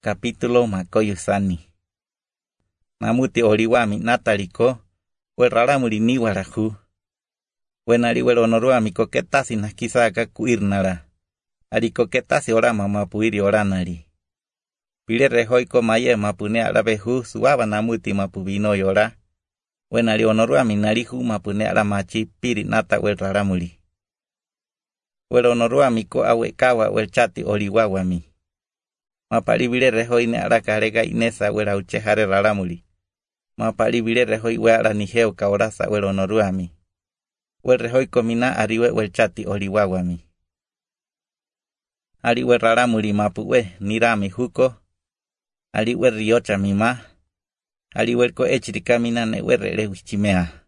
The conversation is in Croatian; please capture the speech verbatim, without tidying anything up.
Capítulo makoyusani. Namuti oliwami nataliko, we raramuri ni warahu. We nari we onoruami koketasi nakisaka kuirnara. Ari koketasi orama mapuiri oranari. Pile rehoiko maye mapune arabehu suaba namuti mapubino yora. We nari onoruami narihu mapune aramachi piri nata we raramuri. We onoruami ko awe kawa we chati oliwawami. Mapari bile rehoi ne arakarega inesa wera uchehare raramuri. Mapari bile rehoi we araniheo kaorasa we onoruami. We rehoi komina ariwe we chati oliwawami. Ari we raramuri mapuwe nirami huko. Ari we riocha mima. Ari we ko echirikamina ne we rele wichimea.